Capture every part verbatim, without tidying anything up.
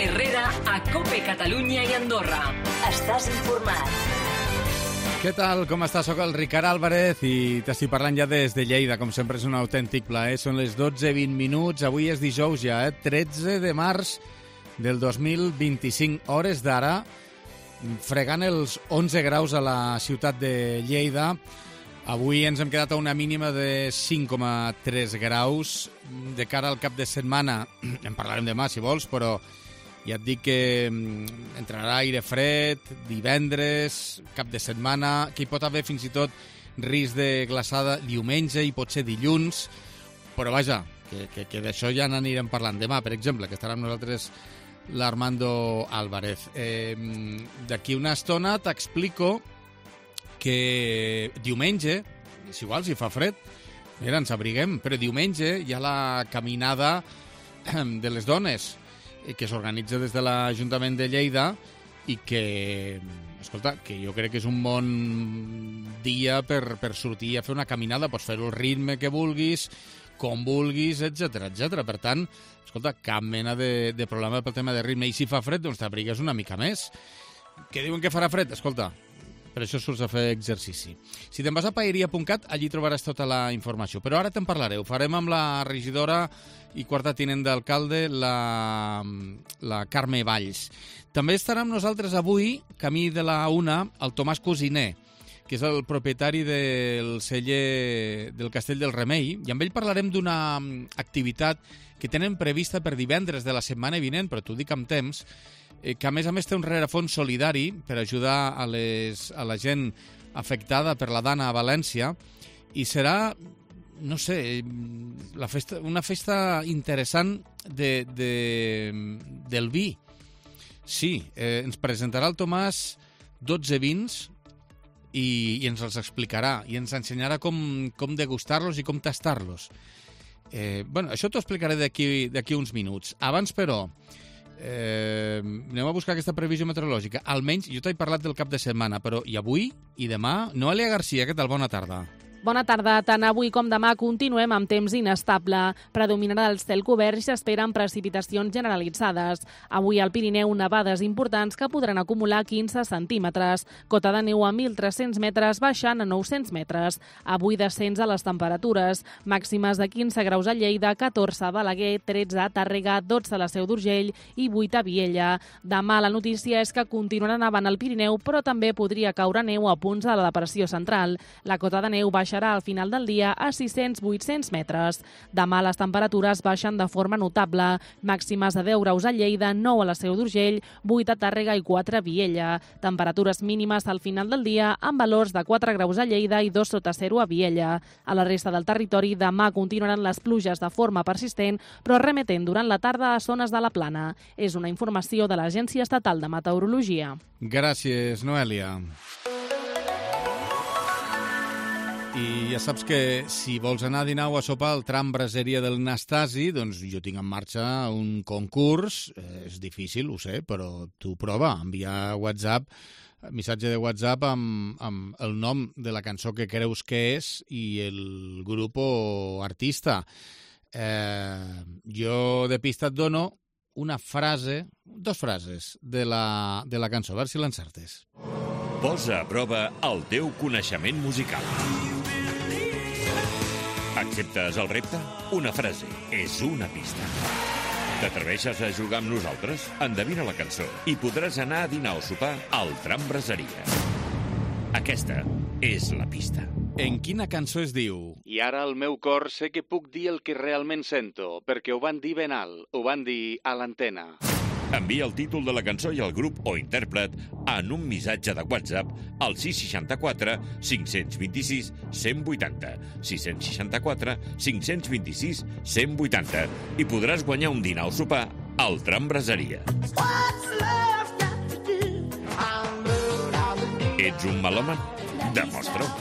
Herrera a COPE Catalunya i Andorra. Estàs informat. Què tal? Com estàs? Soc el Ricard Álvarez i t'estic parlant ja des de Lleida. Com sempre és un autèntic plaer. Són les dotze i vint minuts. Avui és dijous ja, eh? tretze de març del dos mil vint-i-cinc. Hores d'ara, fregant els onze graus a la ciutat de Lleida. Avui ens hem quedat a una mínima de cinc coma tres graus. De cara al cap de setmana, en parlarem demà si vols, però ja et dic que entrarà aire fred, divendres, cap de setmana, que hi pot haver fins i tot risc de glaçada diumenge i potser dilluns, però vaja, que, que, que d'això ja n'anirem parlant demà, per exemple, que estarà amb nosaltres l'Armando Álvarez. Eh, D'aquí una estona t'explico que diumenge, és igual si fa fred, mira, ens abriguem, però diumenge hi ha la caminada de les dones, que s'organitza des de l'Ajuntament de Lleida i que, escolta, que jo crec que és un bon dia per, per sortir a fer una caminada, pots fer-ho al ritme que vulguis, com vulguis, etcètera, etcètera. Per tant, escolta, cap mena de, de problema pel tema de ritme. I si fa fred, doncs t'abrigues una mica més. Que diuen que farà fred? Escolta, per això surts a fer exercici. Si te'n vas a paeria punt cat, allí trobaràs tota la informació. Però ara te'n parlaré. Ho farem amb la regidora i quarta tinent d'alcalde, la, la Carme Valls. També estarà amb nosaltres avui, camí de la una, el Tomàs Cosiner, que és el propietari del celler del Castell del Remei, i amb ell parlarem d'una activitat que tenen prevista per divendres de la setmana vinent, però t'ho dic amb temps, que a més a més té un rerefons solidari per ajudar a, les, a la gent afectada per la Dana a València, i serà, no sé, la festa, una festa interessant de, de, del vi. Sí, eh, ens presentarà el Tomàs dotze vins i, i ens els explicarà i ens ensenyarà com, com degustar-los i com tastar-los. Eh, bueno, això t'ho explicaré d'aquí d'aquí uns minuts. Abans, però, eh, anem a buscar aquesta previsió meteorològica. Almenys, jo t'he parlat del cap de setmana, però i avui i demà? Noelia Garcia, què tal? Bona tarda. Bona tarda. Tant avui com demà continuem amb temps inestable. Predominarà el cel cobert i s'esperen precipitacions generalitzades. Avui al Pirineu nevades importants que podran acumular quinze centímetres. Cota de neu a mil tres-cents metres baixant a nou-cents metres. Avui descens a les temperatures. Màximes de quinze graus a Lleida, catorze a Balaguer, tretze a Tàrrega, dotze a la Seu d'Urgell i vuit a Viella. Demà la notícia és que continuarà nevant al Pirineu, però també podria caure neu a punts de la depressió central. La cota de neu baixa baixarà al final del dia a sis-cents a vuit-cents metres. Demà les temperatures baixen de forma notable. Màximes de deu graus a Lleida, nou a la Seu d'Urgell, vuit a Tàrrega i quatre a Viella. Temperatures mínimes al final del dia amb valors de quatre graus a Lleida i dos sota zero a Viella. A la resta del territori demà continuaran les pluges de forma persistent, però remetent durant la tarda a zones de la Plana. És una informació de l'Agència Estatal de Meteorologia. Gràcies, Noelia. I ja saps que si vols anar a dinar o a sopar al tram Braseria del Nastasi, doncs jo tinc en marxa un concurs. Eh, és difícil, ho sé, però tu prova, enviar WhatsApp, missatge de WhatsApp amb, amb el nom de la cançó que creus que és i el grup o artista. Eh, jo de pista et dono una frase, dos frases de la, de la cançó, a veure si l'encertes. Posa a prova el teu coneixement musical. Acceptes el repte? Una frase és una pista. T'atreveixes a jugar amb nosaltres? Endevina la cançó i podràs anar a dinar o sopar al tram Braseria. Aquesta és la pista. En quina cançó es diu? I ara al meu cor sé que puc dir el que realment sento, perquè ho van dir ben alt, ho van dir a l'antena. Envia el títol de la cançó i el grup o intèrpret en un missatge de WhatsApp al sis seixanta-quatre cinc-cents vint-i-sis cent vuitanta, sis seixanta-quatre cinc-cents vint-i-sis cent vuitanta i podràs guanyar un dinar o sopar al tram Braseria. Ets un melòman? Demostra-ho.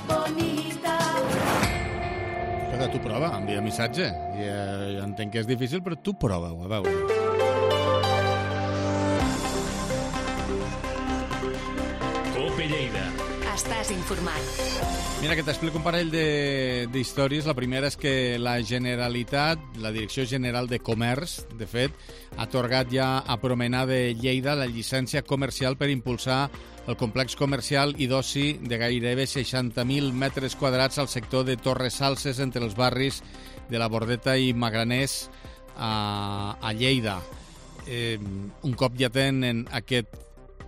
Escolta, tu prova, envia missatge. Ja, ja entenc que és difícil, però tu prova-ho, a veure. Cope Lleida. Estàs informat. Mira, que t'explico un parell d'històries. La primera és que la Generalitat, la Direcció General de Comerç, de fet, ha atorgat ja a Promenà de Lleida la llicència comercial per impulsar el complex comercial i d'oci de gairebé seixanta mil metres quadrats al sector de Torres Salses entre els barris de la Bordeta i Magraners a, a Lleida. Eh, un cop ja tenen aquest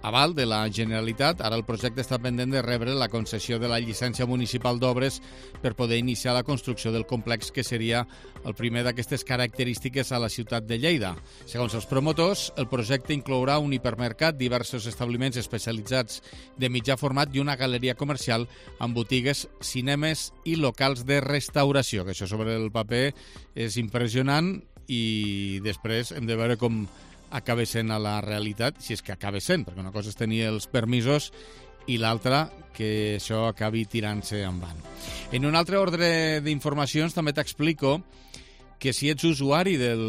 aval de la Generalitat, ara el projecte està pendent de rebre la concessió de la llicència municipal d'obres per poder iniciar la construcció del complex, que seria el primer d'aquestes característiques a la ciutat de Lleida. Segons els promotors, el projecte inclourà un hipermercat, diversos establiments especialitzats de mitjà format i una galeria comercial amb botigues, cinemes i locals de restauració, que això sobre el paper és impressionant i després hem de veure com acaba sent a la realitat, si és que acaba sent, perquè una cosa és tenir els permisos i l'altra que això acabi tirant-se endavant. En un altre ordre d'informacions també t'explico que si ets usuari del,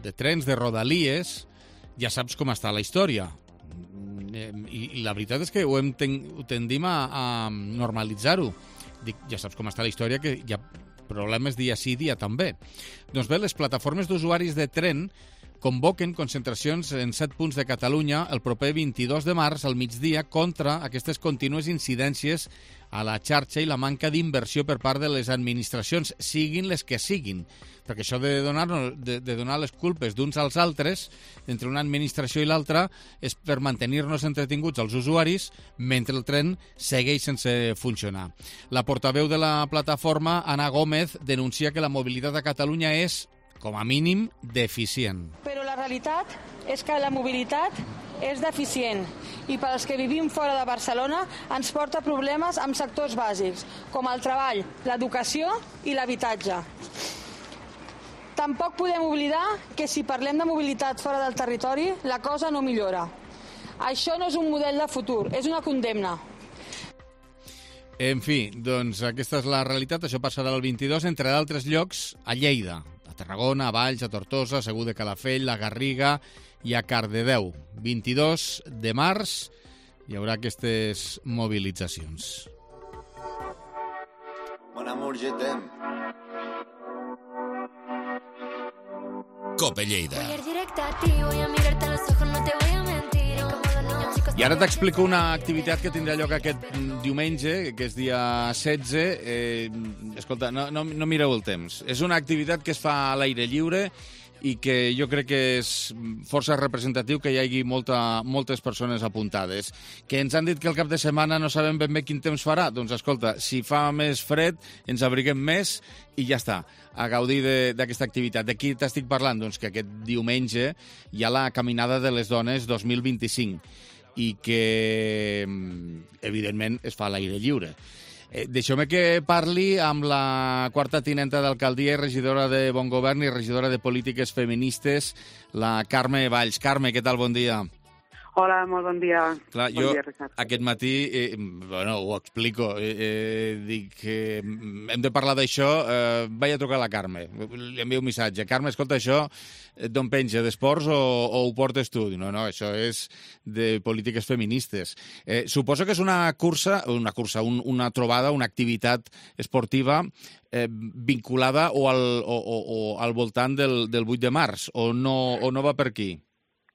de trens de Rodalies ja saps com està la història. I, i la veritat és que ho, hem ten, ho tendim a, a normalitzar-ho. Dic, ja saps com està la història, que hi ha problemes dia sí, dia també. Doncs bé, les plataformes d'usuaris de tren convoquen concentracions en set punts de Catalunya el proper vint-i-dos de març al migdia contra aquestes contínues incidències a la xarxa i la manca d'inversió per part de les administracions, siguin les que siguin. Perquè això de donar, de, de donar les culpes d'uns als altres, entre una administració i l'altra, és per mantenir-nos entretinguts als usuaris mentre el tren segueix sense funcionar. La portaveu de la plataforma, Ana Gómez, denuncia que la mobilitat a Catalunya és, com a mínim, deficient. Però la realitat és que la mobilitat és deficient i per als que vivim fora de Barcelona ens porta problemes amb sectors bàsics, com el treball, l'educació i l'habitatge. Tampoc podem oblidar que si parlem de mobilitat fora del territori, la cosa no millora. Això no és un model de futur, és una condemna. En fi, doncs aquesta és la realitat. Això passarà el vint-i-dos, entre d'altres llocs, a Lleida, a Tarragona, a Valls, a Tortosa, a Segur de Calafell, a Garriga i a Cardedeu. vint-i-dos de març hi haurà aquestes mobilitzacions. Mon amour, je t'aime. Cope Lleida. I ara t'explico una activitat que tindrà lloc aquest diumenge, que és dia setze. Eh, escolta, no, no, no mireu el temps. És una activitat que es fa a l'aire lliure i que jo crec que és força representatiu que hi hagi molta, moltes persones apuntades. Que ens han dit que el cap de setmana no sabem ben bé quin temps farà. Doncs escolta, si fa més fred, ens abriguem més i ja està, a gaudir d'aquesta activitat. De qui t'estic parlant? Doncs que aquest diumenge hi ha la Caminada de les Dones dos mil vint-i-cinc i que, evidentment, es fa a l'aire lliure. Eh, Deixeu-me que parli amb la quarta tinenta d'alcaldia i regidora de Bon Govern i regidora de Polítiques Feministes, la Carme Valls. Carme, què tal? Bon dia. Hola, molt bon dia. Clar, bon jo dia, Ricard. Aquest matí, eh, bueno, ho explico, eh, eh, dic que hem de parlar d'això, eh, vaig a trucar a la Carme, li envio un missatge. Carme, escolta, això d'on penja, d'esports o, o ho portes tu? No, no, això és de polítiques feministes. Eh, suposo que és una cursa, una cursa, un, una trobada, una activitat esportiva eh, vinculada o al, o, o, o al voltant del, del vuit de març, o no, o no va per aquí?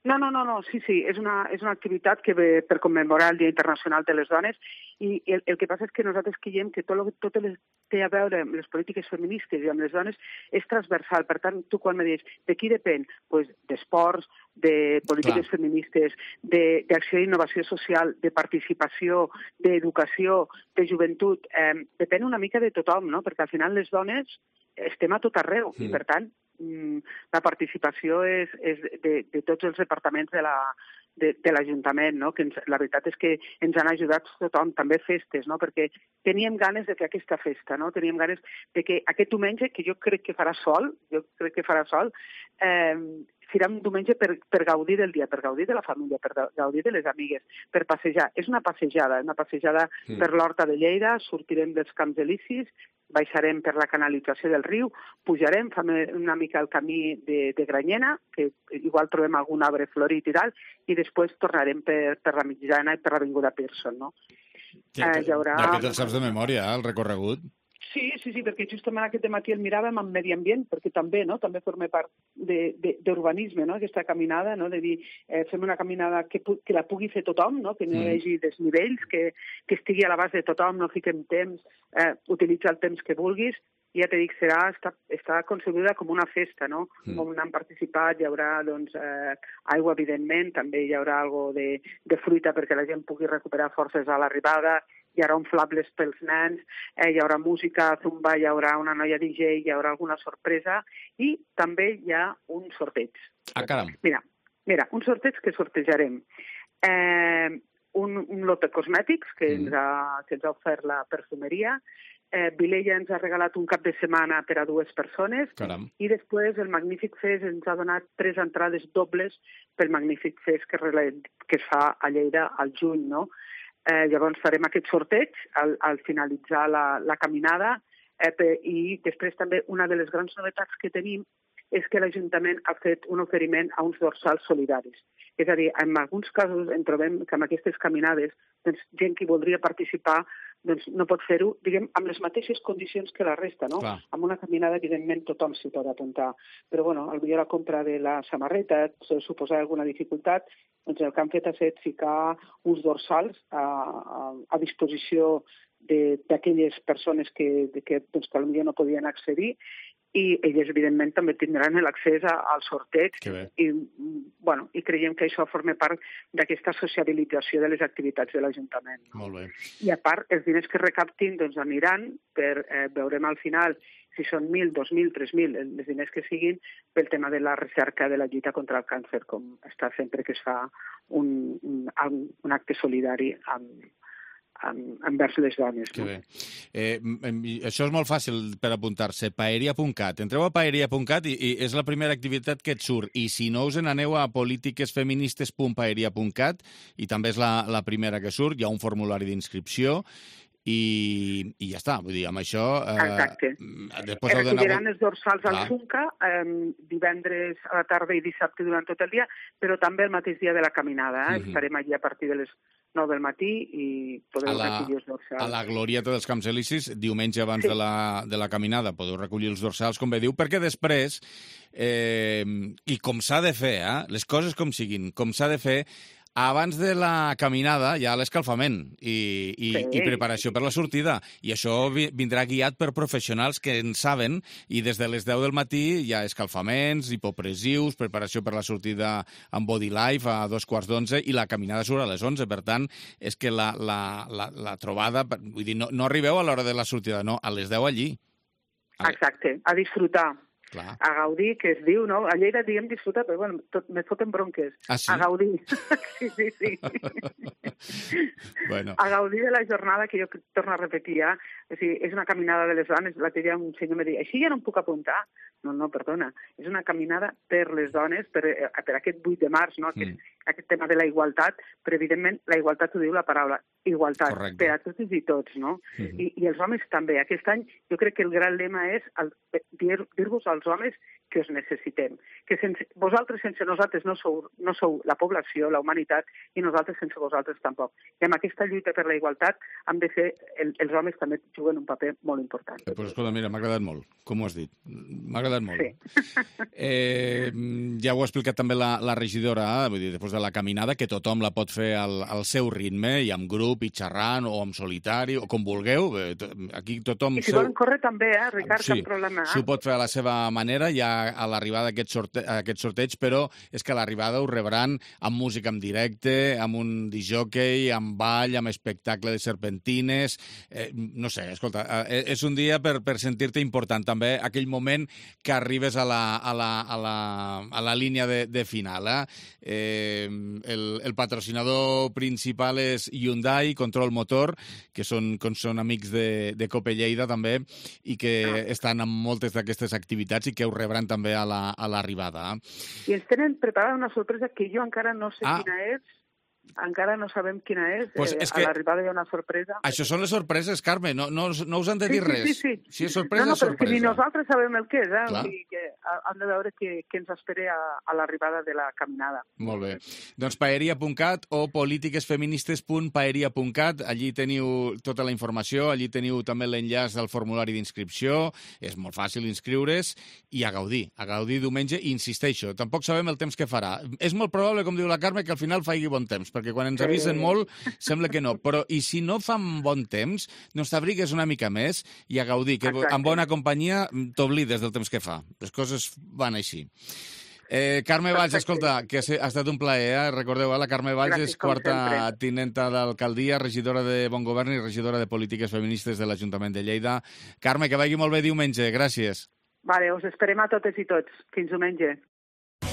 No, no, no, no, sí, sí, és una, és una activitat que ve per commemorar el Dia Internacional de les Dones i el, el que passa és que nosaltres creiem que tot el tot el que té a veure amb les polítiques feministes i amb les dones és transversal. Per tant, tu quan me dius de qui depèn? Pues d'esports, de polítiques Clar. feministes, d'acció d'innovació social, de participació, d'educació, de joventut. Eh, depèn una mica de tothom, no? Perquè al final les dones estem a tot arreu mm. i, per tant, la participació és, és de, de tots els departaments de la, de, de l'Ajuntament, no? Que ens, la veritat és que ens han ajudat tothom, també festes, no? Perquè teníem ganes de fer aquesta festa, no? Teníem ganes de que aquest diumenge, que jo crec que farà sol, jo crec que farà sol, eh, serà un diumenge per, per gaudir del dia, per gaudir de la família, per gaudir de les amigues, per passejar. És una passejada, una passejada mm. per l'Horta de Lleida, sortirem dels Camps Elisis, baixarem per la canalització del riu, pujarem, fem una mica el camí de, de Granyena, que igual trobem algun arbre florit i tal, i després tornarem per, per la Mitjana i per l'Avinguda Pearson, no? Eh, hi haurà... Ja que te'l saps de memòria, el recorregut. Sí, sí, sí, perquè justament aquest matí el miràvem amb medi ambient, perquè també, no?, també forma part d'urbanisme, no?, aquesta caminada, no?, de dir, eh, fem una caminada que, que la pugui fer tothom, no?, que no hi hagi desnivells, que, que estigui a l'abast de tothom, no fiquem temps, eh, utilitza el temps que vulguis, i ja t'he dit, serà, està, està concebuda com una festa, no?, mm. on han participat, hi haurà, doncs, eh, aigua, evidentment, també hi haurà algo de, de fruita perquè la gent pugui recuperar forces a l'arribada, hi haurà inflables pels nens, eh, hi haurà música, zumba, hi haurà una noia D J, hi haurà alguna sorpresa i també hi ha un sorteig. Ah, caram. Mira, mira un sorteig que sortejarem. Eh, un, un lot de cosmètics que, mm. ens, ha, que ens ha ofert la perfumeria. Eh, Vilella ens ha regalat un cap de setmana per a dues persones. Caram. I després el Magnífic Fest ens ha donat tres entrades dobles pel Magnífic Fest que, que es fa a Lleida al juny, no? Eh, llavors farem aquest sorteig al, al finalitzar la, la caminada eh, per, i després també una de les grans novetats que tenim és que l'Ajuntament ha fet un oferiment a uns dorsals solidaris. És a dir, en alguns casos en trobem que en aquestes caminades doncs, gent que voldria participar doncs, no pot fer-ho, diguem, amb les mateixes condicions que la resta, no? Clar. Amb una caminada, evidentment, tothom s'hi pot apuntar. Però, bueno, potser la compra de la samarreta suposar alguna dificultat, doncs el que han fet ha estat ficar uns dorsals a, a, a disposició d'aquelles persones que, que, doncs, que potser no podien accedir i elles, evidentment, també tindran l'accés al sorteig i, bueno, i creiem que això forma part d'aquesta sociabilització de les activitats de l'Ajuntament. No? Molt bé. I a part, els diners que recaptin doncs, aniran per, eh, veurem al final si són mil, dos mil, tres mil, els diners que siguin pel tema de la recerca de la lluita contra el càncer, com està sempre que es fa un, un, un acte solidari amb envers les dones. Que no? bé. Eh, això és molt fàcil per apuntar-se. paeria punt cat. Entreu a paeria punt cat i, i és la primera activitat que et surt. I si no us n'aneu a polítiquesfeministes punt paeria punt cat i també és la, la primera que surt. Hi ha un formulari d'inscripció i, i ja està. Vull dir, amb això... Eh, Exacte. Després heu recolliran els dorsals Clar. al Xunca eh, divendres a la tarda i dissabte durant tot el dia, però també el mateix dia de la caminada. Eh? Uh-huh. Estarem allí a partir de les nou del matí i podeu la, recollir els dorsals. A la glorieta dels Camps Elisis, diumenge abans sí. de, la, de la caminada, podeu recollir els dorsals, com bé diu, perquè després, eh, i com s'ha de fer, eh, les coses com siguin, com s'ha de fer, abans de la caminada hi ha l'escalfament i, i, sí. i preparació per la sortida. I això vi, vindrà guiat per professionals que en saben i des de les deu del matí hi ha escalfaments, hipopressius, preparació per la sortida amb Body Life a dos quarts d'onze i la caminada surt a les onze. Per tant, és que la, la, la, la trobada... Vull dir, no, no arribeu a l'hora de la sortida, no, a les deu allí. A... Exacte, a disfrutar. Clar. A gaudir, que es diu, no? A Lleida diem disfrutar, però bueno, tot, me foten bronques. Ah, sí? A gaudir. sí, sí, sí. bueno. A gaudir de la jornada, que jo torno a repetir ja. O sigui, és una caminada de les dones. L'altre dia un senyor em deia, així ja no em puc apuntar. No, no, perdona. És una caminada per les dones, per, per aquest vuit de març, no? Aquest, mm. aquest tema de la igualtat, però evidentment la igualtat ho diu la paraula, igualtat, Correcte. Per a totes i tots, no? Mm-hmm. I, I els homes també. Aquest any jo crec que el gran lema és el, dir, dir-vos als homes que us necessitem. Que sense, vosaltres sense nosaltres no sou, no sou la població, la humanitat, i nosaltres sense vosaltres tampoc. I amb aquesta lluita per la igualtat hem de fer, el, els homes també juguen un paper molt important. Eh, pues, escolta, mira, m'ha agradat molt, com ho has dit. M'ha agradat molt. Sí. Eh, ja ho ha explicat també la, la regidora, eh? Vull dir, després de la caminada, que tothom la pot fer al, al seu ritme, i amb grup, i xerrant, o amb solitari, o com vulgueu. Aquí tothom... I si seu... volen córrer també, eh, Ricard, sí, cap problema. S'ho pot fer a la seva manera, ja a l'arribada d'aquest sorte... aquest sorteig, però és que a l'arribada ho rebran amb música en directe, amb un disjockey, amb ball, amb espectacle de serpentines... Eh, no sé, escolta, eh, és un dia per, per sentir-te important, també aquell moment que arribes a la, a la, a la, a la línia de, de final. Eh? Eh, el, el patrocinador principal és Hyundai, Control Motor, que són, que són amics de, de Cope Lleida també, i que ah. estan en moltes d'aquestes activitats i que ho rebran també a l'arribada. La, a I ens tenen preparada una sorpresa que jo encara no sé ah. quina és. Encara no sabem quina és. Pues eh, és que... A l'arribada hi ha una sorpresa. Això són les sorpreses, Carme. No, no, no us han de dir sí, sí, res. Sí, sí, sí. Si és sorpresa, no, no, és però sorpresa. és que ni nosaltres sabem el que és. Eh? Clar. O sigui que han de veure què, què ens espera a, a l'arribada de la caminada. Molt bé. Doncs paeria punt cat o polítiquesfeministes punt paeria punt cat. Allí teniu tota la informació, allí teniu també l'enllaç al formulari d'inscripció. És molt fàcil inscriure's i a gaudir. A gaudir diumenge, i insisteixo, tampoc sabem el temps que farà. És molt probable, com diu la Carme, que al final faci bon temps, perquè quan ens avisen molt, sembla que no. Però, i si no fa bon temps, doncs t'abrigues una mica més i a gaudir, que Exacte. amb bona companyia t'oblides del temps que fa. Les coses van així. Eh, Carme Valls, escolta, que ha estat un plaer, eh? Recordeu, eh? La Carme Valls Gràcies, és quarta sempre. tinenta d'alcaldia, regidora de Bon Govern i regidora de Polítiques Feministes de l'Ajuntament de Lleida. Carme, que vagi molt bé diumenge. Gràcies. Vale, us esperem a totes i tots. Fins diumenge.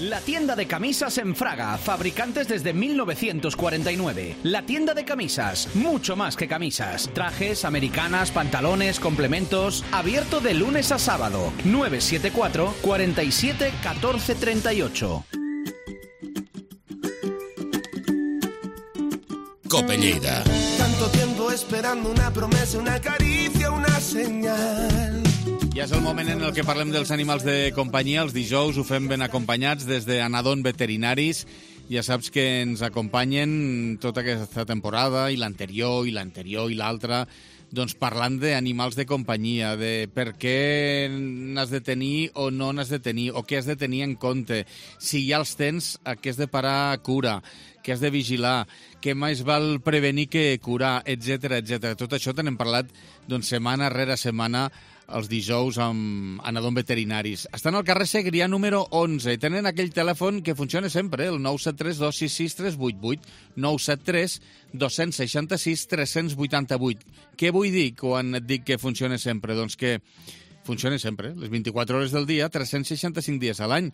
La tienda de camisas en Fraga, fabricantes desde mil novecientos cuarenta y nueve. La tienda de camisas, mucho más que camisas. Trajes, americanas, pantalones, complementos. Abierto de lunes a sábado. nueve siete cuatro, cuatro siete, uno cuatro tres ocho. Cope Lleida. Tanto tiempo esperando una promesa, una caricia, una señal. Ja és el moment en el que parlem dels animals de companyia. Els dijous ho fem ben acompanyats des d'Anadon Veterinaris. Ja saps que ens acompanyen tota aquesta temporada, i l'anterior, i l'anterior, i l'altra, doncs parlant d'animals de companyia, de per què n'has de tenir o no n'has de tenir, o què has de tenir en compte, si ja els tens, a què has de parar cura, què has de vigilar, què més val prevenir que curar, etcètera, etcètera. Tot això te n'hem parlat doncs, setmana rere setmana els dijous amb Anadon Veterinaris. Estan al carrer Segrià número onze i tenen aquell telèfon que funciona sempre, el nou set tres dos sis sis tres vuit vuit, nou set tres dos sis sis tres vuit vuit. Què vull dir quan et dic que funciona sempre? Doncs que funciona sempre, les vint-i-quatre hores del dia, tres cents seixanta-cinc dies a l'any.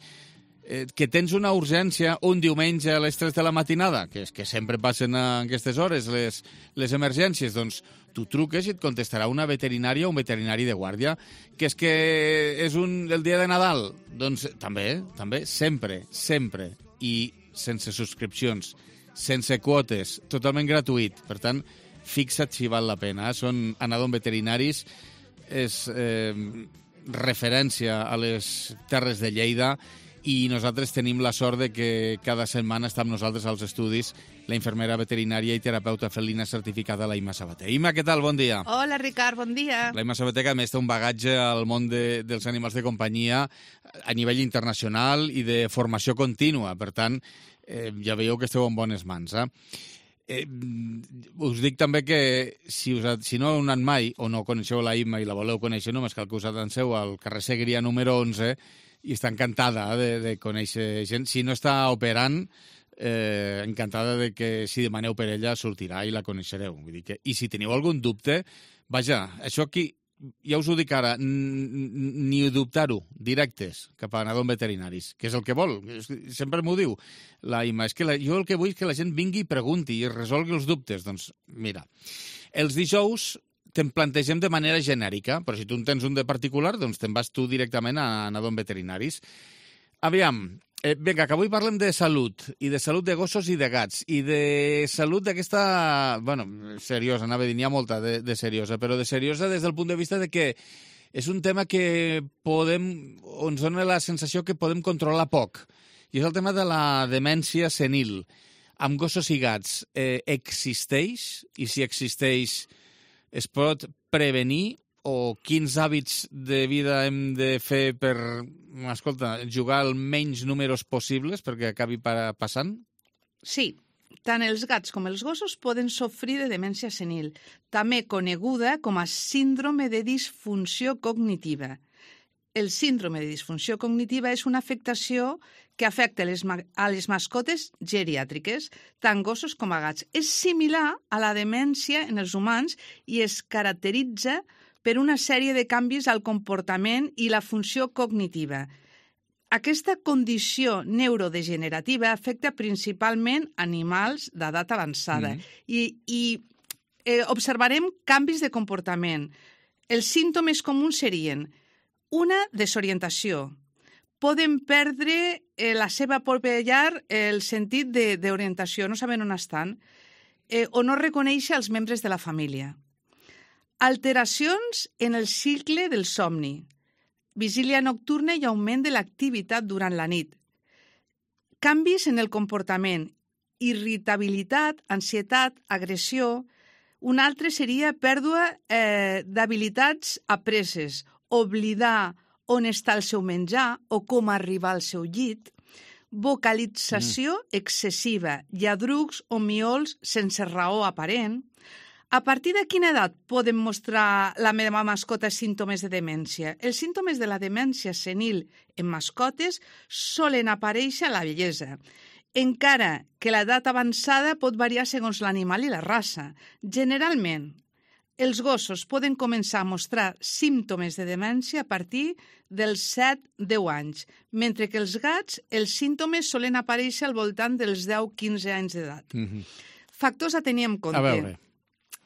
Eh, que tens una urgència un diumenge a les tres de la matinada, que és que sempre passen a aquestes hores les, les emergències, doncs tu truques i et contestarà una veterinària o un veterinari de guàrdia. Que és que és un, el dia de Nadal? Doncs també, també, sempre, sempre. I sense subscripcions, sense quotes, totalment gratuït. Per tant, fixa't si val la pena. Són Anadon Veterinaris, és eh, referència a les terres de Lleida, i nosaltres tenim la sort de que cada setmana està amb nosaltres als estudis la infermera veterinària i terapeuta felina certificada, la Imma Sabater. Imma, què tal? Bon dia. Hola, Ricard, bon dia. La Imma Sabater, que a més té un bagatge al món de, dels animals de companyia a nivell internacional i de formació contínua. Per tant, eh, ja veieu que esteu en bones mans, eh? Eh, us dic també que si, us ha, si no heu anat mai o no coneixeu la Imma i la voleu conèixer, només cal que us atanseu al carrer Segrià número onze i està encantada de, de conèixer gent. Si no està operant, eh, encantada de que si demaneu per ella sortirà i la coneixereu. Vull dir que, i si teniu algun dubte, vaja, això aquí, ja us ho dic ara, ni dubtar-ho, directes cap a Anadon Veterinaris, que és el que vol. Sempre m'ho diu la Imma, és que la, jo el que vull és que la gent vingui i pregunti i resolgui els dubtes. Doncs mira, els dijous te'n plantegem de manera genèrica, però si tu en tens un de particular, doncs te'n vas tu directament a Anadon Veterinaris. Aviam, eh, vinga, que avui parlem de salut, i de salut de gossos i de gats, i de salut d'aquesta, bueno, seriosa, anava a dir, n'hi ha molta de, de seriosa, però de seriosa des del punt de vista de que és un tema que podem, ens dona la sensació que podem controlar poc, i és el tema de la demència senil. Amb gossos i gats, eh, existeix? I si existeix, es pot prevenir? O quins hàbits de vida hem de fer per, escolta, jugar el menys números possibles perquè acabi passant? Sí, tant els gats com els gossos poden sofrir de demència senil, també coneguda com a síndrome de disfunció cognitiva. El síndrome de disfunció cognitiva és una afectació que afecta les a les mascotes geriàtriques, tant gossos com a gats. És similar a la demència en els humans i es caracteritza per una sèrie de canvis al comportament i la funció cognitiva. Aquesta condició neurodegenerativa afecta principalment animals d'edat avançada mm. i, i eh, observarem canvis de comportament. Els símptomes comuns serien una desorientació, poden perdre eh, la seva pròpia llar, eh, el sentit d'orientació, no saben on estan, eh, o no reconèixer els membres de la família. Alteracions en el cicle del somni, vigília nocturna i augment de l'activitat durant la nit. Canvis en el comportament, irritabilitat, ansietat, agressió. Un altre seria pèrdua eh, d'habilitats apreses, oblidar on està el seu menjar o com arribar al seu llit, vocalització mm. excessiva, lladrucs o miols sense raó aparent. A partir de quina edat poden mostrar la meva mascota símptomes de demència? Els símptomes de la demència senil en mascotes solen aparèixer a la vellesa, encara que l'edat avançada pot variar segons l'animal i la raça. Generalment, els gossos poden començar a mostrar símptomes de demència a partir dels set a deu anys, mentre que els gats, els símptomes solen aparèixer al voltant dels deu a quinze anys d'edat. Mm-hmm. Factors a tenir en compte. A veure.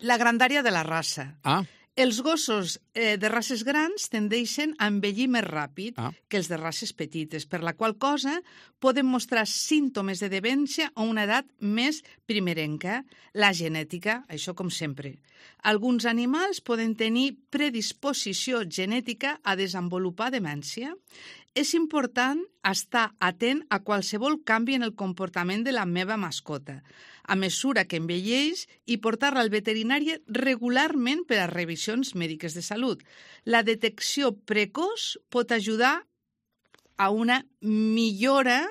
La grandària de la raça. Ah. Els gossos eh, de races grans tendeixen a envellir més ràpid ah. que els de races petites, per la qual cosa poden mostrar símptomes de demència a una edat més primerenca. La genètica, això com sempre. Alguns animals poden tenir predisposició genètica a desenvolupar demència. És important estar atent a qualsevol canvi en el comportament de la meva mascota, a mesura que envelleix, i portar-la al veterinari regularment per a revisions mèdiques de salut. La detecció precoç pot ajudar a una millora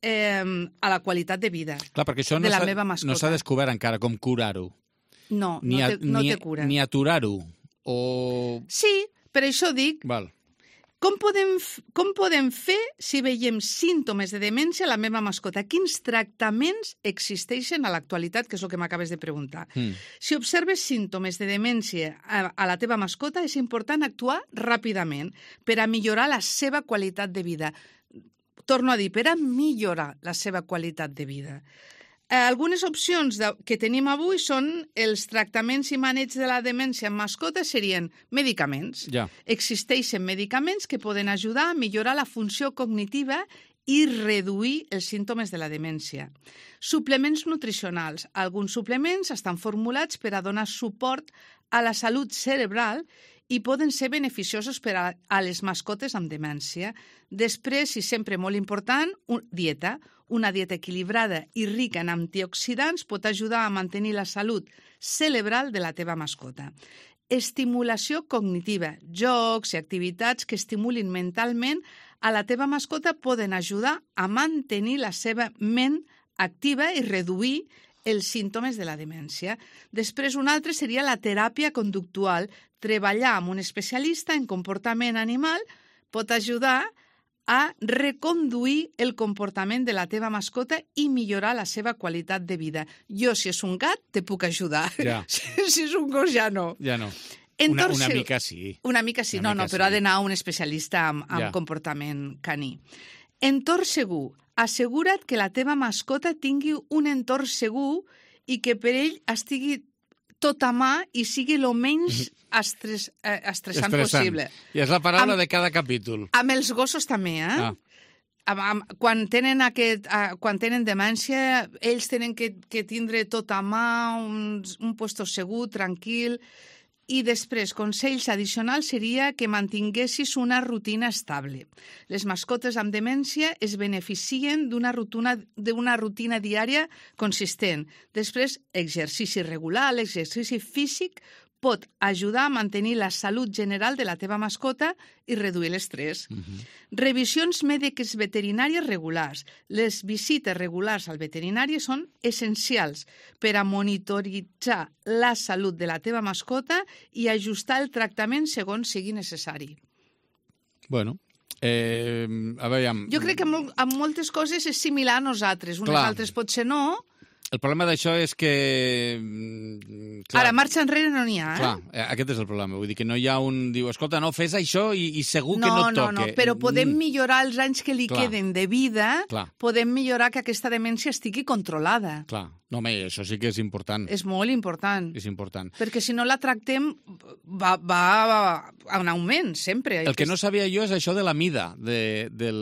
eh, a la qualitat de vida Clar, perquè això de no la meva mascota. No s'ha descobert encara com curar-ho. No, ni no, a, té, no ni, té cura. Ni aturar-ho. O... Sí, per això dic... Val. Com podem, com podem fer si veiem símptomes de demència a la meva mascota? Quins tractaments existeixen a l'actualitat, que és el que m'acabes de preguntar? Mm. Si observes símptomes de demència a, a la teva mascota, és important actuar ràpidament per a millorar la seva qualitat de vida. Torno a dir, per a millorar la seva qualitat de vida. Eh, algunes opcions de, que tenim avui són els tractaments i maneig de la demència en mascotes serien medicaments. Ja. Existeixen medicaments que poden ajudar a millorar la funció cognitiva i reduir els símptomes de la demència. Suplements nutricionals. Alguns suplements estan formulats per a donar suport a la salut cerebral i poden ser beneficiosos per a, a les mascotes amb demència. Després, i sempre molt important, un, dieta. Una dieta equilibrada i rica en antioxidants pot ajudar a mantenir la salut cerebral de la teva mascota. Estimulació cognitiva. Jocs i activitats que estimulin mentalment a la teva mascota poden ajudar a mantenir la seva ment activa i reduir els símptomes de la demència. Després, un altre seria la teràpia conductual. Treballar amb un especialista en comportament animal pot ajudar a reconduir el comportament de la teva mascota i millorar la seva qualitat de vida. Jo, si és un gat, te puc ajudar. Ja. Si és un gos, ja no. Ja no. Una, una mica sí. Una mica sí, una no, mica no, però sí. ha d'anar a un especialista amb, amb ja. comportament caní. Entorn segur. Assegura't que la teva mascota tingui un entorn segur i que per ell estigui tot a mà i sigui el menys estres, eh, estressant, estressant possible. I és la paraula amb, de cada capítol. Amb els gossos també, eh? Ah. Amb, amb, quan, tenen aquest, uh, quan tenen demència, ells tenen que, que tindre tot a mà, un, un puesto segur, tranquil. I després, consells addicionals seria que mantinguessis una rutina estable. Les mascotes amb demència es beneficien d'una rutina, d'una rutina diària consistent. Després, exercici regular, l'exercici físic pot ajudar a mantenir la salut general de la teva mascota i reduir l'estrès. Uh-huh. Revisions mèdiques veterinàries regulars. Les visites regulars al veterinari són essencials per a monitoritzar la salut de la teva mascota i ajustar el tractament segons sigui necessari. Bueno, eh, a veure... Jo crec que amb, amb moltes coses és similar a nosaltres. Unes Clar. altres potser no. El problema d'això és que... Clar, ara, marxa enrere no n'hi ha, eh? Clar, aquest és el problema. Vull dir que no hi ha un... Diu, escolta, no, fes això i, i segur no, que no et no, toque. No, no, però podem millorar els anys que li Clar. queden de vida, Clar. podem millorar que aquesta demència estigui controlada. Clar, No, home, això sí que és important. És molt important. És important. Perquè si no la tractem, va, va, va en augment, sempre. El que no sabia jo és això de la mida. De, del...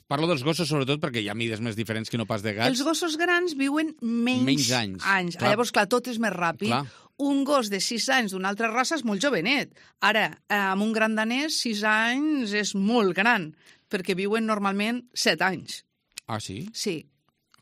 Parlo dels gossos, sobretot, perquè hi ha mides més diferents que no pas de gats. Els gossos grans viuen menys, menys anys. anys. Clar. Llavors, clar, tot és més ràpid. Clar. Un gos de sis anys d'una altra raça és molt jovenet. Ara, amb un gran danès, sis anys és molt gran, perquè viuen normalment set anys. Ah, sí? Sí.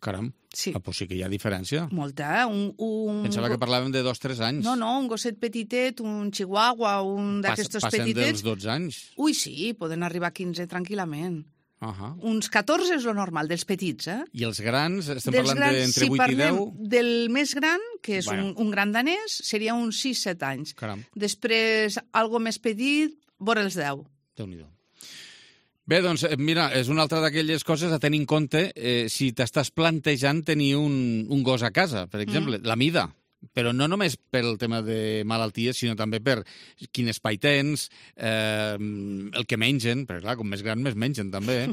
Caram. Sí. Ah, doncs sí que hi ha diferència. Molta. Un, un... Pensava que parlàvem de dos o tres anys. No, no, un gosset petitet, un chihuahua, un d'aquestos Passen petitets... dels dotze anys. Ui, sí, poden arribar a quinze tranquil·lament. Uh -huh. Uns catorze és lo normal, dels petits, eh? I els grans, estem Dels parlant grans, d'entre si vuit i deu? Del més gran, que és Bueno. un, un gran danès, seria uns sis set anys. Caram. Després, algo més petit, vora els deu. Déu-n'hi-do. Bé, doncs, mira, és una altra d'aquelles coses a tenir en compte eh, si t'estàs plantejant tenir un, un gos a casa, per exemple, mm. la mida. Però no només pel tema de malalties, sinó també per quin espai tens, eh, el que mengen, perquè clar, com més gran més mengen també,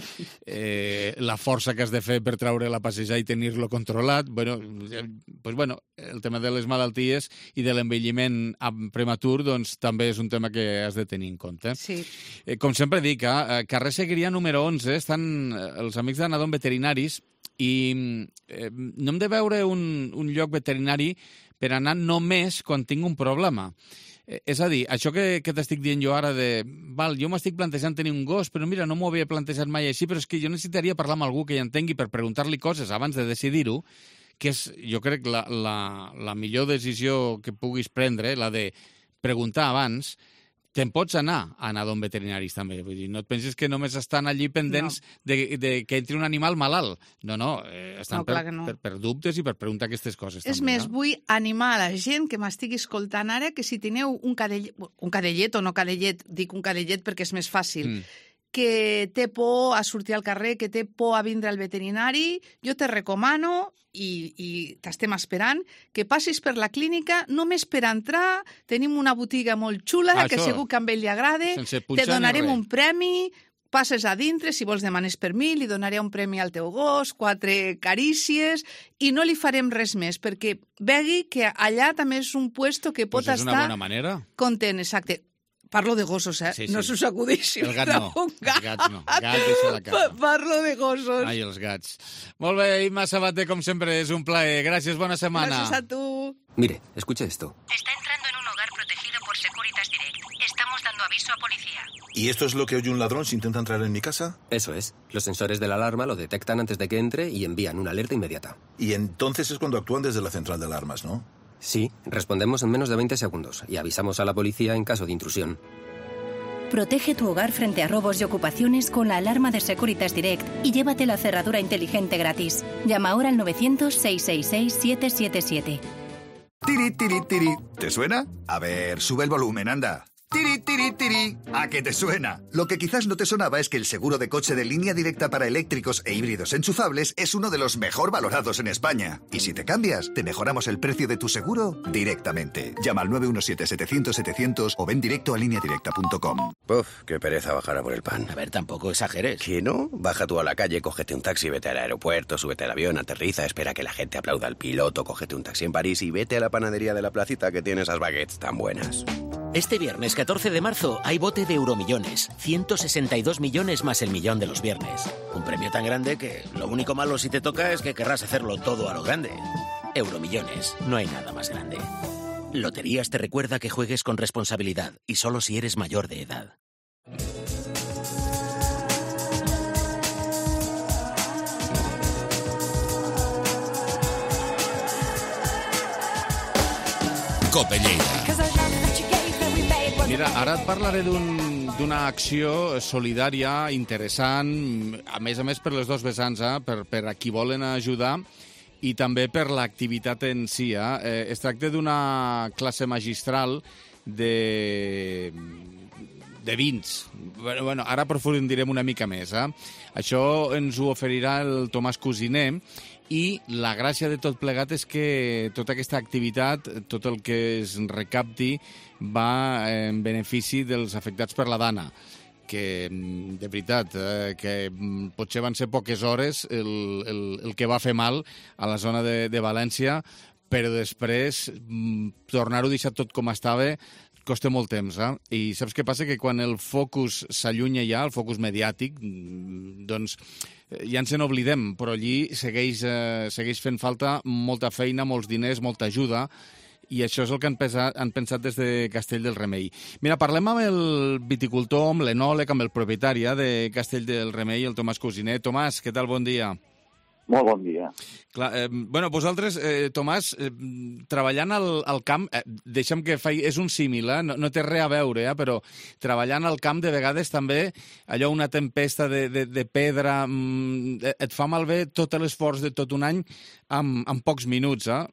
eh, la força que has de fer per treure-la a passejar i tenir-lo controlat. Bueno, eh, pues bueno, el tema de les malalties i de l'envelliment prematur doncs, també és un tema que has de tenir en compte. Sí. Eh, com sempre dic, a carrer Seguiria número onze estan els amics d'Anadon Veterinaris i eh, no hem de veure un, un lloc veterinari per anar només quan tinc un problema. Eh, és a dir, això que, que t'estic dient jo ara de... Val, jo m'estic plantejant tenir un gos, però mira, no m'ho havia plantejat mai així, però és que jo necessitaria parlar amb algú que hi entengui per preguntar-li coses abans de decidir-ho, que és, jo crec, la, la, la millor decisió que puguis prendre, la de preguntar abans. Te'n pots anar a Anadon Veterinaris també, vull dir, no et pensis que només estan allí pendents no. de, de que entri un animal malalt. No, no, eh, estan no, per, no. per, per dubtes i per preguntar aquestes coses. És també, més, no? vull animar a la gent que m'estigui escoltant ara que si teniu un cadellet, un cadellet o no cadellet, dic un cadellet perquè és més fàcil, mm. que té por a sortir al carrer, que té por a vindre al veterinari, jo te recomano i, i t'estem esperant, que passis per la clínica només per entrar. Tenim una botiga molt xula, ah, que això, segur que a ell li agrada. Te donarem un premi, passes a dintre, si vols demanes per mi, li donaré un premi al teu gos, quatre carícies, i no li farem res més, perquè vegi que allà també és un puesto que pot pues és estar... una bona manera. Content, exacte. Parlo de gossos, eh? Sí, sí. No s'us acudeixi. El gat no. Gat. Els gats no. Gat deixa la casa. Parlo de gossos. Ai, els gats. Molt bé, Imma Sabater, com sempre, és un plaer. Gràcies, bona setmana. Gràcies a tu. Mire, escuche esto. Está entrando en un hogar protegido por Securitas Direct. Estamos dando aviso a policía. ¿Y esto es lo que oye un ladrón si intenta entrar en mi casa? Eso es. Los sensores de la alarma lo detectan antes de que entre y envían una alerta inmediata. Y entonces es cuando actúan desde la central de alarmas, ¿no? Sí, respondemos en menos de veinte segundos y avisamos a la policía en caso de intrusión. Protege tu hogar frente a robos y ocupaciones con la alarma de Securitas Direct y llévate la cerradura inteligente gratis. Llama ahora al novecientos, seiscientos sesenta y seis, siete siete siete. Tiri, tiri, tiri. ¿Te suena? A ver, sube el volumen, anda. Tiri, tiri, tiri. ¿A qué te suena? Lo que quizás no te sonaba es que el seguro de coche de Línea Directa para eléctricos e híbridos enchufables es uno de los mejor valorados en España. Y si te cambias, te mejoramos el precio de tu seguro directamente. Llama al nueve uno siete, setecientos, setecientos o ven directo a línea directa punto com. Uf, qué pereza bajar a por el pan. A ver, tampoco exageres. ¿Qué no? Baja tú a la calle, cógete un taxi, vete al aeropuerto, súbete al avión, aterriza, espera que la gente aplauda al piloto, cógete un taxi en París y vete a la panadería de la placita que tiene esas baguettes tan buenas. Este viernes catorce de marzo hay bote de Euromillones. ciento sesenta y dos millones más el millón de los viernes. Un premio tan grande que lo único malo si te toca es que querrás hacerlo todo a lo grande. Euromillones, no hay nada más grande. Loterías te recuerda que juegues con responsabilidad y solo si eres mayor de edad. Cope Lleida. Mira, ara et parlaré d'una un, acció solidària interessant, a més a més per les dos vessants, eh? per, per a qui volen ajudar i també per l'activitat en si. Eh? Es tracta d'una classe magistral de, de vins. Bueno, bueno, ara aprofundirem una mica més. Eh? Això ens ho oferirà el Tomàs Cosiner i la gràcia de tot plegat és que tota aquesta activitat, tot el que es recapti, va en benefici dels afectats per la Dana. que de veritat, eh, que potser van ser poques hores el, el, el que va fer mal a la zona de, de València, però després tornar-ho a deixar tot com estava costa molt temps, eh? I saps què passa? Que quan el focus s'allunya ja, el focus mediàtic, doncs ja ens n'oblidem, però allí segueix, eh, segueix fent falta molta feina, molts diners, molta ajuda, i això és el que han pensat, han pensat des de Castell del Remei. Mira, parlem amb el viticultor, amb l'enòleg, amb el propietari de Castell del Remei, el Tomàs Cosiner. Tomàs, què tal? Bon dia. Molt bon dia. Clar, eh, bueno, vosaltres, eh, Tomàs, eh, treballant al, al camp, eh, deixa'm que faci, és un símil, eh? no, no té res a veure, eh? Però treballant al camp de vegades també allò, una tempesta de, de, de pedra, mm, et fa malbé tot l'esforç de tot un any amb, amb pocs minuts, eh?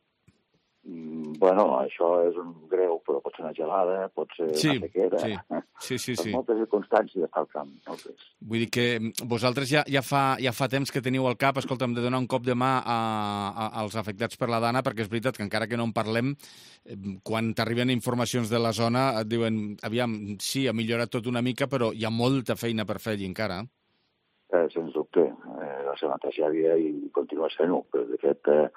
Bueno, això és un greu, però pot ser una gelada, pot ser sí, una sequera. Sí, sí, sí. sí. Moltes circumstàncies al camp. Moltes. Vull dir que vosaltres ja, ja, fa, ja fa temps que teniu al cap, escolta'm, de donar un cop de mà a, a, als afectats per la Dana, perquè és veritat que encara que no en parlem, quan t'arriben informacions de la zona et diuen, aviam, sí, ha millorat tot una mica, però hi ha molta feina per fer allí encara. Eh, sens dubte, eh, va ser una tragèdia i continua sent-ho, però de fet... Eh,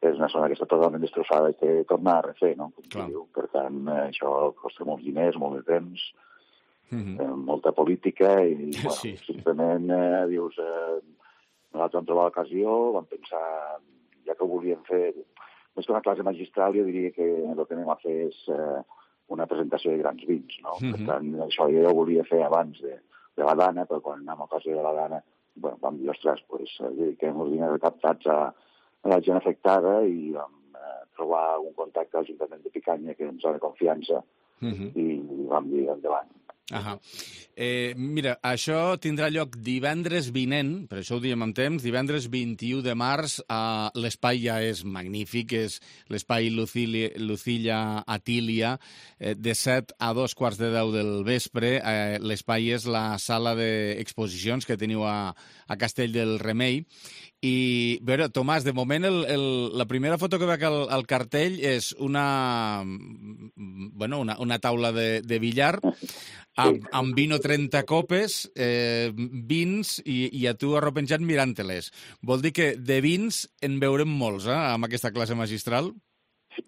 és una zona que està totalment destrossada i té que tornar a refer, no? Diu. Per tant, això costa molts diners, molt de temps, mm-hmm. eh, molta política i, bueno, sí. simplement eh, dius, eh, nosaltres vam trobar l'ocasió, vam pensar, ja que ho volíem fer, més que una classe magistral, jo diria que el que anem a fer és eh, una presentació de grans vins, no? Mm-hmm. Per tant, això jo ho volia fer abans de, de la Dana, però quan anem a ocasió de la Dana, bueno, vam dir, ostres, pues, dediquem els diners recaptats a a la gent afectada i vam eh, trobar un contacte a l'Ajuntament de Picanya que ens dona confiança uh-huh. i vam dir endavant. Ahà. Eh, mira, això tindrà lloc divendres vinent, per això ho diem amb temps, divendres vint-i-u de març, eh, l'espai ja és magnífic, és l'espai Lucilla, Lucilla Atília, eh, de set a dos quarts de deu del vespre. Eh, l'espai és la sala d'exposicions que teniu a, a Castell del Remei. I, a veure, Tomàs, de moment el, el, la primera foto que veig al, al cartell és una, bueno, una, una taula de, de billar amb, amb vino trenta copes, eh, vins i, i a tu arropenjat mirant-te-les. Vol dir que de vins en veurem molts, eh, amb aquesta classe magistral?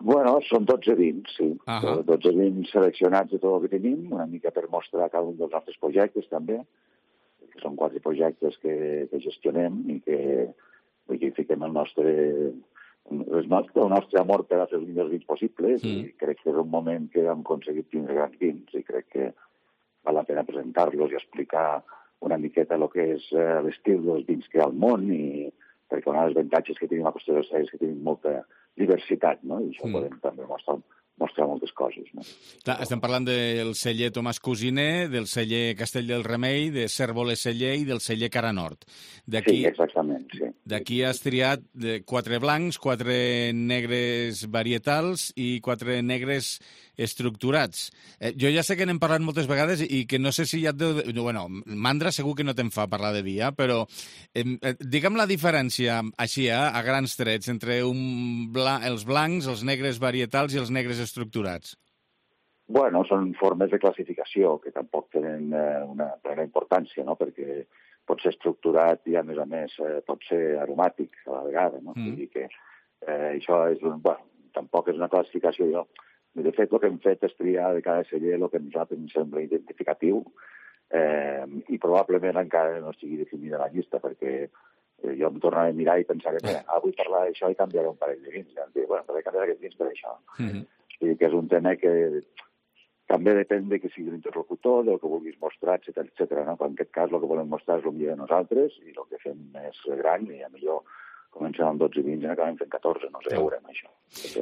Bueno, són dotze vins, sí. Uh-huh. dotze vins seleccionats de tot el que tenim, una mica per mostrar cada un dels nostres projectes, també. Que són quatre projectes que, que gestionem i que, que fiquem el nostre, el nostre, el nostre amor per a fer els millors vins possibles mm. i crec que és un moment que hem aconseguit tindre grans vins i crec que val la pena presentar-los i explicar una miqueta el que és eh, l'estil dels vins que hi ha al món i perquè un dels avantatges que tenim a Costa del Cel és que tenim molta diversitat, no? I això mm. podem també mostrar mostrar moltes coses. No? Clar, estem parlant del celler Tomàs Cosiner, del celler Castell del Remei, de Cérvoles Celler i del celler Cara Nord. Sí, exactament, sí. D'aquí has triat quatre blancs, quatre negres varietals i quatre negres estructurats. Eh, jo ja sé que n'hem parlat moltes vegades i que no sé si ja et deu... Bueno, mandra segur que no te'n fa parlar de vi, eh? Però eh, digue'm la diferència, així, eh, a grans trets, entre un bla... els blancs, els negres varietals i els negres estructurats. Bueno, són formes de classificació que tampoc tenen eh, una plena importància, no? Perquè pot ser estructurat i, a més a més, eh, pot ser aromàtic a la vegada, no? Mm. Vull dir que eh, això és un... Bueno, tampoc és una classificació, jo... De fet, el que hem fet és triar de cada celler el que a nosaltres ens sembla identificatiu eh, i probablement encara no estigui definida la llista, perquè eh, jo em tornava a mirar i pensar que mira, ah, vull parlar d'això i canviaré un parell de vins. I em dic, bueno, però he canviat aquests vins per això. Mm-hmm. I que és un tema que també depèn de que sigui l'interlocutor, del que vulguis mostrar, etcètera, etcètera. No? En aquest cas el que volem mostrar és el millor de nosaltres i el que fem és gran i a millor comencem amb dotze vins i acabem fent catorze, no sé, veurem això.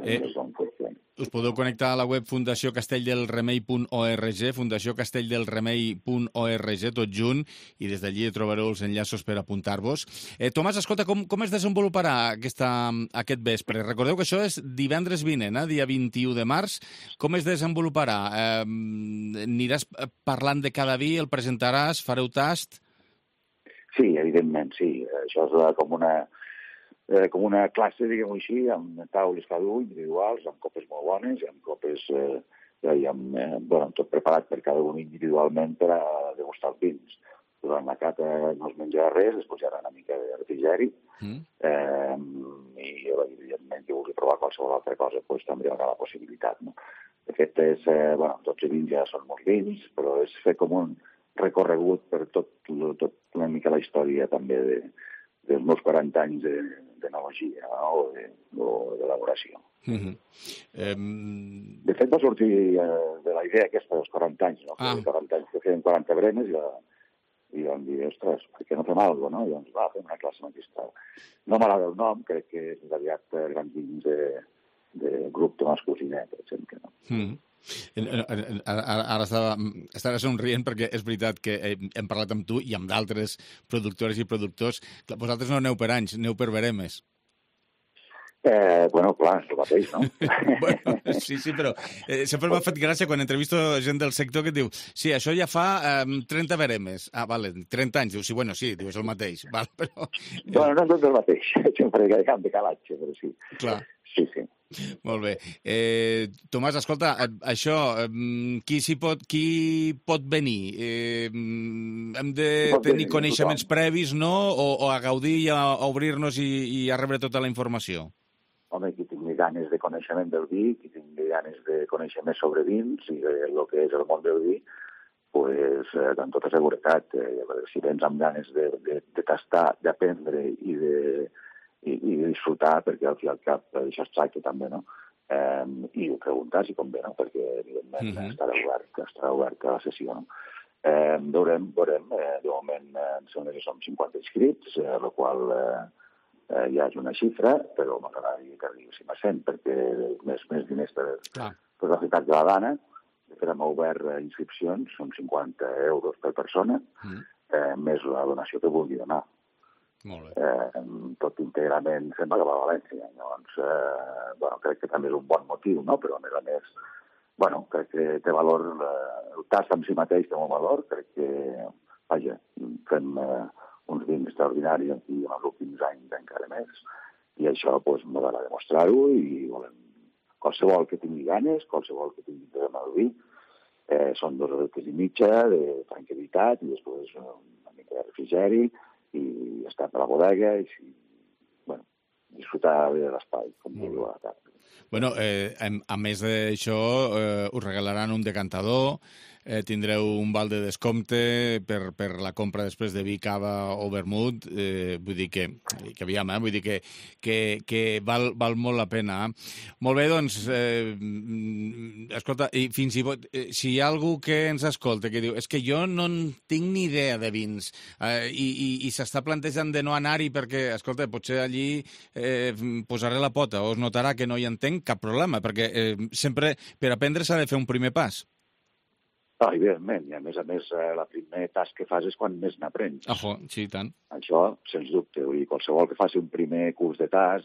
Eh, us podeu connectar a la web fundació castelldelremei punt org, fundació castelldelremei punt org, tot junt, i des d'allí trobareu els enllaços per apuntar-vos. Eh, Tomàs, escolta, com, com es desenvoluparà aquesta, aquest vespre? Recordeu que això és divendres vinent, eh, dia vint-i-u de març. Com es desenvoluparà? Eh, aniràs parlant de cada vi, el presentaràs, fareu tast? Sí, evidentment, sí. Això és com una... Eh, com una classe, diguem-ho així, amb taules cada un, individuals, amb copes molt bones i amb copes eh, ja havíem eh, bueno, tot preparat per cada un individualment per a degustar els vins. Durant la cata no es menjarà res, es posarà una mica de refrigeri, mm. eh, i evidentment qui vulgui provar qualsevol altra cosa pues, també hi haurà la possibilitat. No? De fet, és, eh, bueno, dotze vins ja són molts vins, però és fer com un recorregut per tot, tot una mica la història també de, dels meus quaranta anys de, d'enologia no? o, de, o d'elaboració. Mm-hmm. Um... De fet, va sortir eh, de la idea aquesta dels quaranta anys, no? Ah. quaranta anys que feien quaranta bremes i, la, i vam dir, ostres, per què no fem alguna cosa, no? I doncs va, fem una classe magistral. No m'agrada el nom, crec que és aviat gran dins de, de grup Tomàs Cosiner, per exemple. No? Mm. Ara estava, estava somrient perquè és veritat que hem parlat amb tu i amb d'altres productores i productors. Vosaltres no aneu per anys, aneu per veremes. Eh, bueno, clar, és el mateix, no? bueno, sí, sí, però eh, sempre m'ha fet gràcia quan entrevisto gent del sector que et diu sí, això ja fa eh, trenta veremes. Ah, vale, trenta anys. Diu, sí, bueno, sí, diu, és el mateix. Val, però... Bueno, no és el mateix. Sempre hi ha camp de calatge, però sí. Clar. Sí, sí. Molt bé. Eh, Tomàs, escolta, això, qui, s'hi pot, qui pot venir? Eh, hem de pot tenir venir, coneixements tothom. previs, no? O, o a gaudir i a, a obrir-nos i, i a rebre tota la informació? Home, qui tingui ganes de coneixement del vi, qui tingui ganes de conèixer més sobre vins i de lo que és el món del vi, pues, eh, amb tota seguretat, eh, si vens amb ganes de, de, de tastar, d'aprendre i de, i, i de disfrutar, perquè al fi i al cap això es tracta també, no? Eh, I ho preguntar si convé, no? Perquè, evidentment, mm-hmm. estarà obert, estarà obert a la sessió, no? Eh, veurem, veurem, eh, de moment, eh, em sembla que som cinquanta inscrits, eh, la qual... Eh, Eh, ja és una xifra, però m'agradaria que arribéssim a cent, perquè més, més diners per, per la ciutat de la Dana. De fet, hem obert inscripcions, són cinquanta euros per persona, mm. eh, més la donació que vulgui donar. Molt bé. Eh, tot íntegrament fem a València. Llavors, eh, bueno, crec que també és un bon motiu, no? Però a més a més, bueno, crec que té valor, eh, el tast en si mateix té molt valor, crec que, vaja, fem... Eh, uns vins extraordinaris aquí en els últims anys encara més, i això doncs, m'agrada demostrar-ho i volem qualsevol que tingui ganes, qualsevol que tingui interès en el vi, eh, són dos hores i mitja de tranquil·litat i després una mica de refrigeri i estar per la bodega i si, bueno, disfrutar de l'espai, com diu a la tarda. Bueno, eh, a més d'això, eh, us regalaran un decantador, eh, tindreu un val de descompte per, per la compra després de vi, cava o vermut, eh, vull dir que, que aviam, eh, vull dir que, que, que val, val molt la pena. Molt bé, doncs, eh, escolta, i fins i tot, eh, si hi ha algú que ens escolta que diu, és que jo no en tinc ni idea de vins, eh, i, i, i s'està plantejant de no anar-hi perquè, escolta, potser allí eh, posaré la pota o es notarà que no hi entenc, cap problema, perquè eh, sempre per aprendre s'ha de fer un primer pas. Ah, evidentment, i a més a més la primer tas que fas és quan més n'aprens. Ajo, sí, tant. Això, sens dubte, vull dir, qualsevol que faci un primer curs de tas,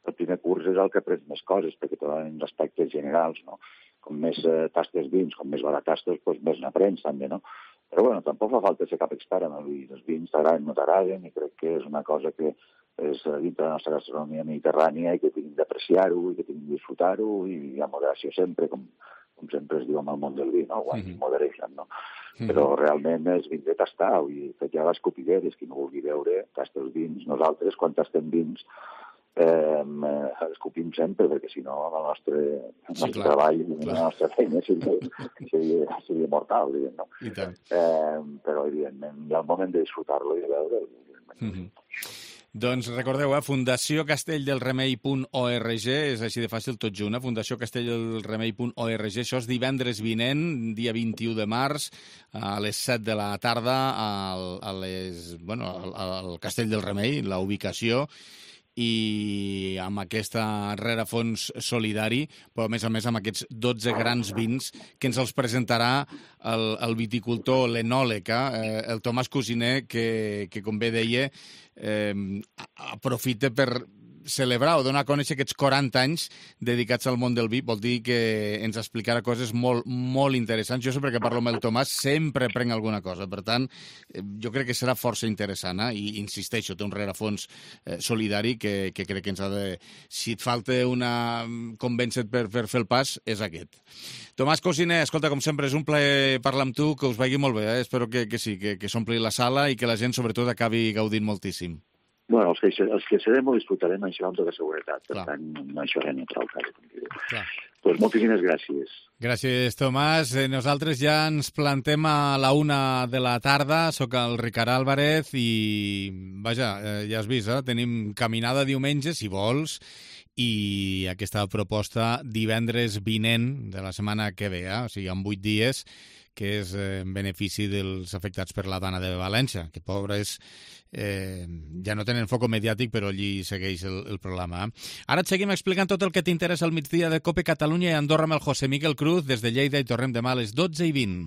el primer curs és el que aprens més coses, perquè te donen aspectes generals, no? Com més eh, tastes vins, com més baratastes, doncs més n'aprens també, no? Però bueno, tampoc fa falta ser cap expert en el vi. Els vins t'agraden, no t'agraden, i crec que és una cosa que és dintre de la nostra gastronomia mediterrània i que tinguin d'apreciar-ho i que tinguin de disfrutar-ho i amb moderació sempre, com, com sempre es diu en el món del vi, no? Wine in moderation, no? Mm-hmm. Però realment és vins de tastar, vull dir, que hi ha les copideres, qui no vulgui veure, tasta els vins. Nosaltres, quan tastem vins, eh, escopim sempre, perquè si no el nostre, el nostre sí, treball i la nostra feina seria, seria, seria mortal, diguem, no? I tant. Eh, però, evidentment, hi ha el moment de disfrutar-lo i de veure'l. Mm-hmm. Doncs recordeu, eh, fundació castelldelremei punt org, és així de fàcil tot junt, eh? fundació castelldelremei punt org, això és divendres vinent, dia vint-i-u de març, a les set de la tarda, al, a les, bueno, al, al Castell del Remei, la ubicació, i amb aquesta rerefons solidari, però a més a més amb aquests dotze grans vins que ens els presentarà el, el viticultor, l'enòleg, eh, el Tomàs Cosiner, que, que com bé deia, eh, aprofita per celebrar o donar a conèixer aquests quaranta anys dedicats al món del vi. Vol dir que ens explicarà coses molt, molt interessants. Jo sempre que parlo amb el Tomàs sempre prenc alguna cosa. Per tant, jo crec que serà força interessant, eh? I insisteixo, té un rerefons eh, solidari que, que crec que ens ha de... Si et falta una convèncer per, per fer el pas, és aquest. Tomàs Cosiner, escolta, com sempre, és un plaer parlar amb tu, que us vagi molt bé, eh? Espero que, que sí, que, que s'ompli la sala i que la gent, sobretot, acabi gaudint moltíssim. Bueno, els que, els que serem ho disfrutarem això amb tota seguretat, per Clar. tant, no això res neutral. Doncs pues moltíssimes gràcies. Gràcies, Tomàs. Nosaltres ja ens plantem a la una de la tarda. Soc el Ricard Álvarez i, vaja, ja has vist, eh? Tenim caminada diumenge, si vols, i aquesta proposta divendres vinent de la setmana que ve, eh? O sigui, en vuit dies, que és en benefici dels afectats per la Dana de València, que pobres eh, ja no tenen foc mediàtic, però allí segueix el, el programa. Eh? Ara et seguim explicant tot el que t'interessa al migdia de COPE Catalunya i Andorra amb el José Miguel Cruz. Des de Lleida i tornem demà a les dotze i vint.